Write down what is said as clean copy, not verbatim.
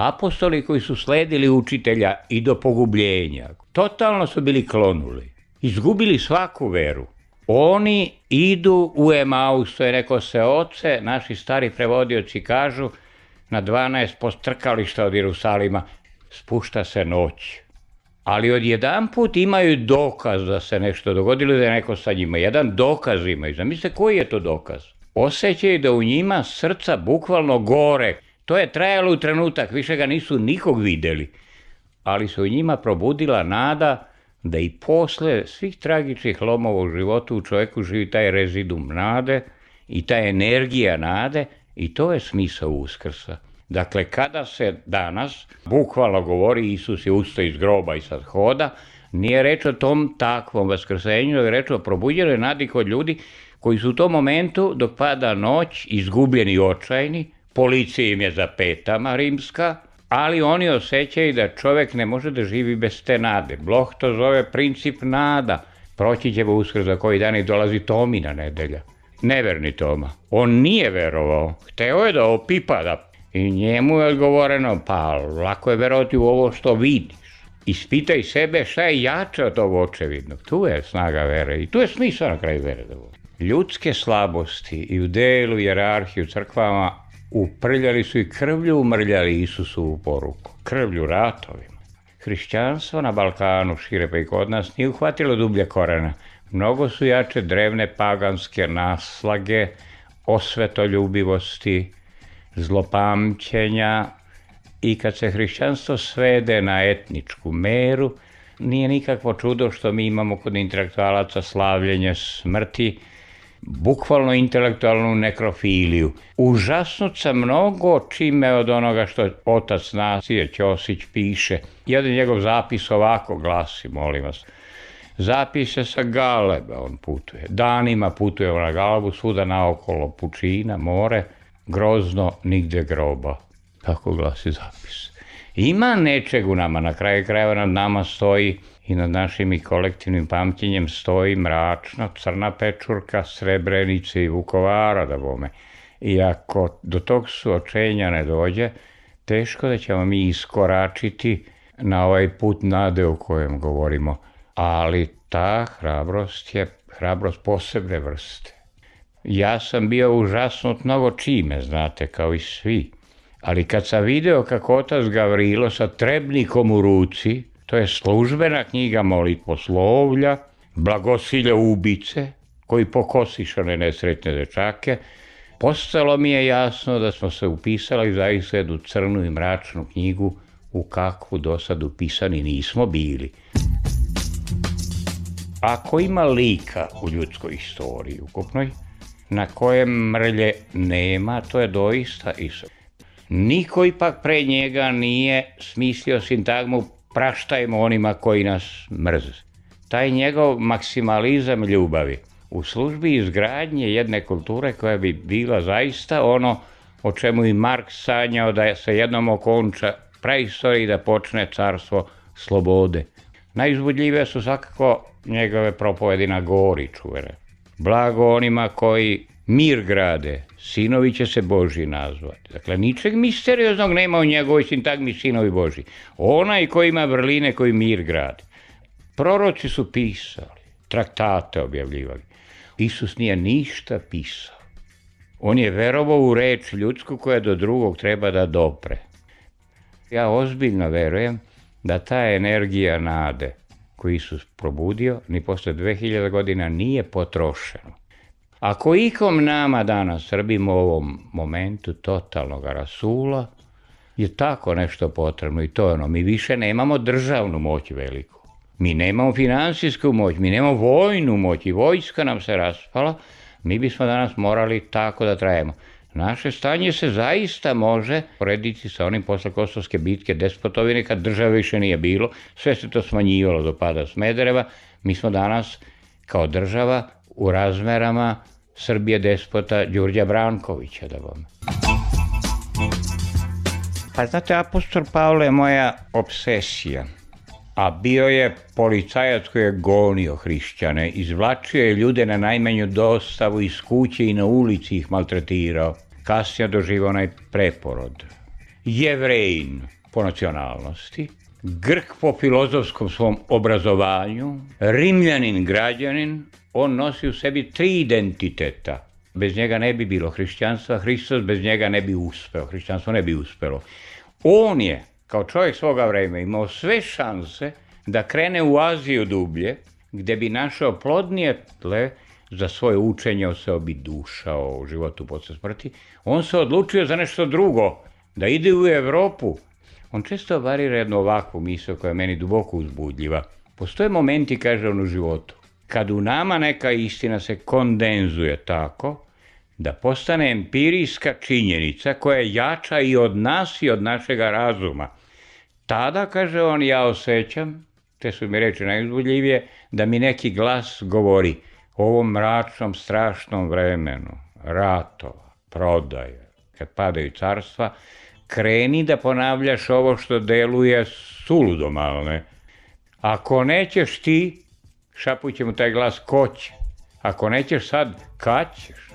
Apostoli koji su sledili učitelja i do pogubljenja, totalno su bili klonuli, izgubili svaku veru. Oni idu u Emaus, to je rekao se oce, naši stari prevodioci kažu, na 12 postrkališta od Jerusalima, spušta se noć. Ali odjedanput imaju dokaz da se nešto dogodilo, da je neko sa njima. Jedan dokaz imaju. Zamislite koji je to dokaz? Osjećaju da u njima srca bukvalno gore. To je trajalo u trenutak, više ga nisu nikog vidjeli. Ali se u njima probudila nada da i posle svih tragičnih lomova u životu u čovjeku živi taj rezidum nade i ta energija nade i to je smisao Uskrsa. Dakle, kada se danas bukvalno govori Isus je ustao iz groba i sad hoda, nije reč o tom takvom vaskrsenju, nego je reč o probuđenoj nadi kod ljudi koji su u tom momentu dok pada noć izgubljeni i očajni, policija im je za petama rimska, ali oni osjećaju da čovjek ne može da živi bez te nade. Bloh to zove princip nada. Proći ćemo Uskrs za koji dan i dolazi Tomina nedelja. Neverni Toma. On nije verovao. Hteo je da opipa, i njemu je odgovoreno, pa lako je verovati u ovo što vidiš. Ispitaj sebe šta je jače od ovog očevidnog. Tu je snaga vere i tu je smisao na kraju vere. Ljudske slabosti i u delu hijerarhiju crkvama uprljali su i krvlju umrljali Isusovu poruku. Krvlju ratovima. Hrišćanstvo na Balkanu, šire pa i kod nas, nije uhvatilo dublje korena. Mnogo su jače drevne paganske naslage, osvetoljubivosti, zlopamćenja i kad se hrišćanstvo svede na etničku meru, nije nikakvo čudo što mi imamo kod intelektualaca slavljenje smrti, bukvalno intelektualnu nekrofiliju. Užasnut sam mnogo čime od onoga što otac nacije Ćosić piše. Jedan njegov zapis ovako glasi, molim vas. Zapise sa Galeba on putuje. Danima putuje na Galebu, svuda naokolo pučina, more, grozno, nigde groba. Tako glasi zapis. Ima nečeg u nama, na kraju krajeva nad nama stoji i nad našim i kolektivnim pamćenjem stoji mračna, crna pečurka, Srebrenice i Vukovara, da bome. I ako do tog suočenja ne dođe, teško da ćemo mi iskoračiti na ovaj put nade o kojem govorimo. Ali ta hrabrost je hrabrost posebne vrste. Ja sam bio užasnut mnogo čime, znate, kao i svi. Ali kad sam video kako otac Gavrilo sa trebnikom u ruci, to je službena knjiga molitvoslovlja, blagosilja ubice, koji pokosiše one nesretne dečake, postalo mi je jasno da smo se upisali zaista jednu crnu i mračnu knjigu u kakvu do sad upisani nismo bili. Ako ima lika u ljudskoj istoriji ukupnoj, na kojem mrlje nema, to je doista Isus. Niko ipak pre njega nije smislio sintagmu praštajmo onima koji nas mrze. Taj njegov maksimalizam ljubavi u službi izgradnje jedne kulture koja bi bila zaista ono o čemu i Marks sanjao da se jednom okonča praistorija i da počne carstvo slobode. Najuzbudljivije su svakako njegove propovedi na gori čuvene. Blago onima koji mir grade, sinovi će se Božji nazvati. Dakle, ničeg misterioznog nema u njegovoj sintagmi sinovi Božji. Onaj koji ima vrline, koji mir grade. Proroci su pisali, traktate objavljivali. Isus nije ništa pisao. On je verovao u reč ljudsku koja do drugog treba da dopre. Ja ozbiljno verujem da ta energija nade koju Isus probudio ni posle 2000 godina nije potrošeno. Ako ikom nama danas Srbima u ovom momentu totalnog rasula je tako nešto potrebno i to je ono, mi više nemamo državnu moć veliku. Mi nemamo finansijsku moć, mi nemamo vojnu moć i vojska nam se raspala, mi bismo danas morali tako da trajemo. Naše stanje se zaista može porediti sa onim posle Kosovske bitke Despotovine kad države više nije bilo, sve se to smanjivalo do pada Smedereva. Mi smo danas kao država u razmerama Srbije despota Đurđa Brankovića. Da vam. Pa znate, apostol Pavle je moja obsesija, a bio je policajac koji je gonio hrišćane, izvlačio je ljude na najmanju dostavu iz kuće i na ulici ih maltretirao. Kasnije doživao onaj preporod. Jevrejin po nacionalnosti, Grk po filozofskom svom obrazovanju, Rimljanin građanin, on nosi u sebi 3 identiteta. Bez njega ne bi bilo hrišćanstva, Hristos bez njega ne bi uspeo, hrišćanstvo ne bi uspelo. On je, kao čovjek svoga vremena, imao sve šanse da krene u Aziju dublje, gdje bi našao plodnije tle za svoje učenje o sebi, duša, o životu posle smrti. On se odlučio za nešto drugo, da ide u Evropu. On često varira jednu ovakvu misao koja je meni duboko uzbudljiva. Postoje momenti, kaže on, u životu, kad u nama neka istina se kondenzuje tako da postane empirijska činjenica koja je jača i od nas i od našega razuma. Tada, kaže on, ja osjećam, te su mi reči najuzbudljivije, da mi neki glas govori o ovom mračnom, strašnom vremenu, ratova, prodaje, kad padaju carstva, kreni da ponavljaš ovo što deluje suludo malne. Ako nećeš ti, šapuće mu taj glas, ko će? Ako nećeš sad, kad ćeš?